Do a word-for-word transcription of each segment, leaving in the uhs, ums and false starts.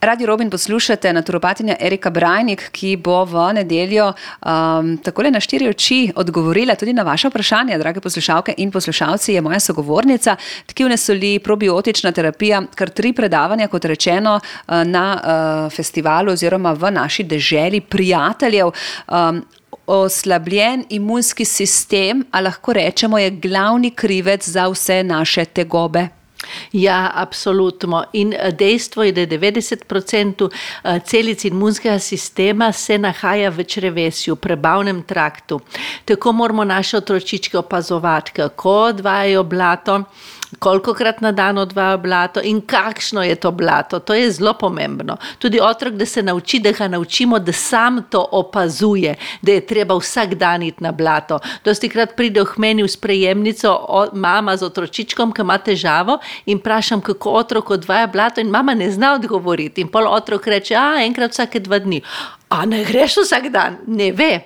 Radio Robin poslušate, naturopatinja Erika Brajnik, ki bo v nedeljo um, takole na štiri oči odgovorila tudi na vaše vprašanje, drage poslušalke in poslušalci, je moja sogovornica. Tkivne soli, probiotična terapija, kar tri predavanja, kot rečeno, na uh, festivalu oziroma v naši deželi prijateljev. Um, Oslabljen imunski sistem, a lahko rečemo, je glavni krivec za vse naše tegobe. Ja, absolutno. In dejstvo je, da je devetdeset procentov celic imunskega sistema se nahaja v črevesju, v prebavnem traktu. Tako moramo naše otročičke opazovati, kako odvajajo blato, kolikokrat na dan odvajajo blato in kakšno je to blato. To je zelo pomembno. Tudi otrok, da se nauči, da ga naučimo, da sam to opazuje, da je treba vsak dan iti na blato. Dostikrat pride k meni v sprejemnico mama z otročičkom, ki ima težavo, in vprašam, kako otrok odvaja blato, in mama ne zna odgovoriti. In pol otrok reče, a enkrat vsake dva dni. A ne greš vsak dan? Ne ve.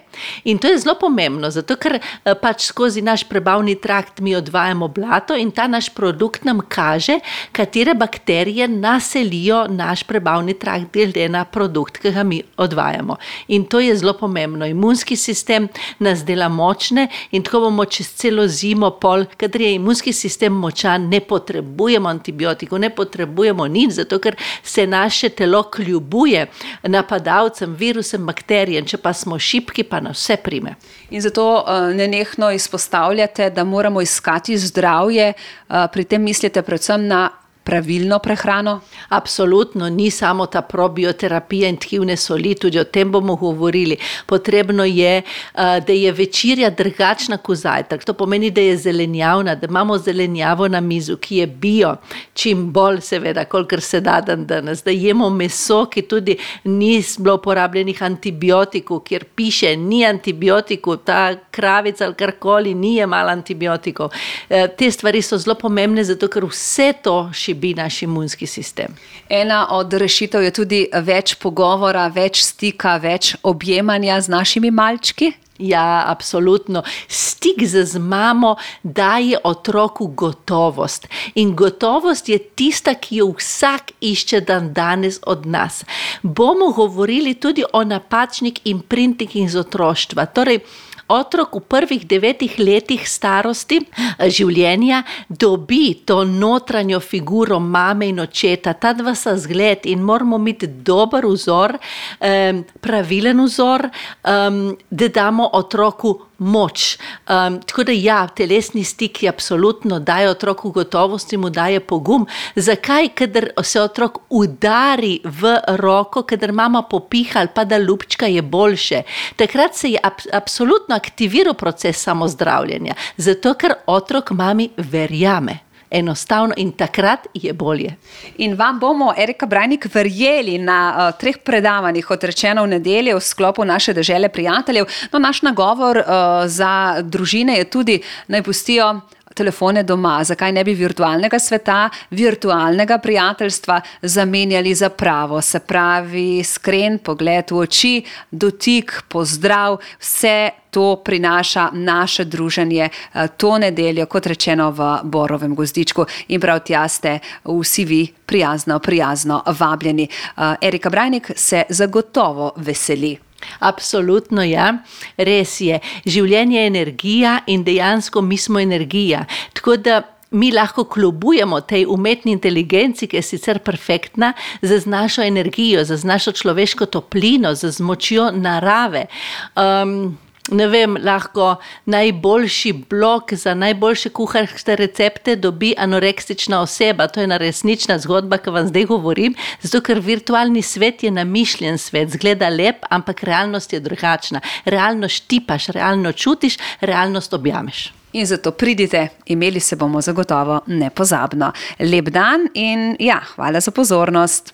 In to je zelo pomembno, zato ker pač skozi naš prebavni trakt mi odvajamo blato in ta naš produkt nam kaže, katere bakterije naselijo naš prebavni trakt glede na produkt, ki ga mi odvajamo. In to je zelo pomembno. Imunski sistem nas dela močne in tako bomo čez celo zimo pol, kadar je imunski sistem močan, ne potrebujemo antibiotikov, ne potrebujemo nič, zato ker se naše telo kljubuje napadalcem, virusem, bakterijem, če pa smo šibki, pa nas vse prime. In zato uh, nenehno izpostavljate, da moramo iskati zdravje, uh, pri tem mislite predvsem na pravilno prehrano? Absolutno, ni samo ta probioterapija in tkivne soli, tudi o tem bomo govorili. Potrebno je, da je večerja drugačna kot zajtrk. To pomeni, da je zelenjavna, da imamo zelenjavo na mizu, ki je bio, čim bolj seveda, kolikor se da dan danes, da jemo meso, ki tudi ni bilo uporabljenih antibiotikov, kjer piše, ni antibiotikov, ta kravica ali karkoli, ni jemala antibiotikov. Te stvari so zelo pomembne, zato ker vse to šibi naš imunski sistem. Ena od rešitev je tudi več pogovora, več stika, več objemanja z našimi malčki? Ja, absolutno. Stik z mamo daje otroku gotovost. In gotovost je tista, ki jo vsak išče dan danes od nas. Bomo govorili tudi o napačnih imprintingih iz otroštva. Torej, otrok v prvih devetih letih starosti življenja dobi to notranjo figuro mame in očeta. Ta dva sta zgled in moramo imeti dober vzor, um, pravilen vzor, um, da damo otroku moč. Um, tako da ja, telesni stik je absolutno daje otroku gotovost in mu daje pogum. Zakaj? Kadar se otrok udari v roko, kadar mama popiha ali pa da lupčka, je boljše. Takrat se je ab, absolutno aktiviral proces samozdravljenja, zato ker otrok mami verjame. Enostavno in takrat je bolje. In vam bomo, Erika Brajnik, verjeli na uh, treh predavanjih, kot rečeno v nedeljo v sklopu naše dežele prijateljev. No, naš nagovor uh, za družine je tudi, naj pustijo telefone doma. Zakaj ne bi virtualnega sveta, virtualnega prijateljstva zamenjali za pravo? Se pravi, iskren pogled v oči, dotik, pozdrav, vse to prinaša naše druženje to nedeljo, kot rečeno v Borovem gozdičku. In prav tja ste vsi vi prijazno, prijazno vabljeni. Erika Brajnik se zagotovo veseli. Absolutno, ja. Res je. Življenje je energija in dejansko mi smo energija. Tako da mi lahko kljubujemo tej umetni inteligenci, ki je sicer perfektna, z našo energijo, z našo človeško toplino, z močjo narave. Um, Ne vem, lahko najboljši blog za najboljše kuharske recepte dobi anoreksična oseba. To je ena resnična zgodba, ki vam zdaj govorim, zato ker virtualni svet je namišljen svet, zgleda lep, ampak realnost je drugačna. Realno štipaš, realno čutiš, realnost objameš. In zato pridite, imeli se bomo zagotovo nepozabno. Lep dan in ja, hvala za pozornost.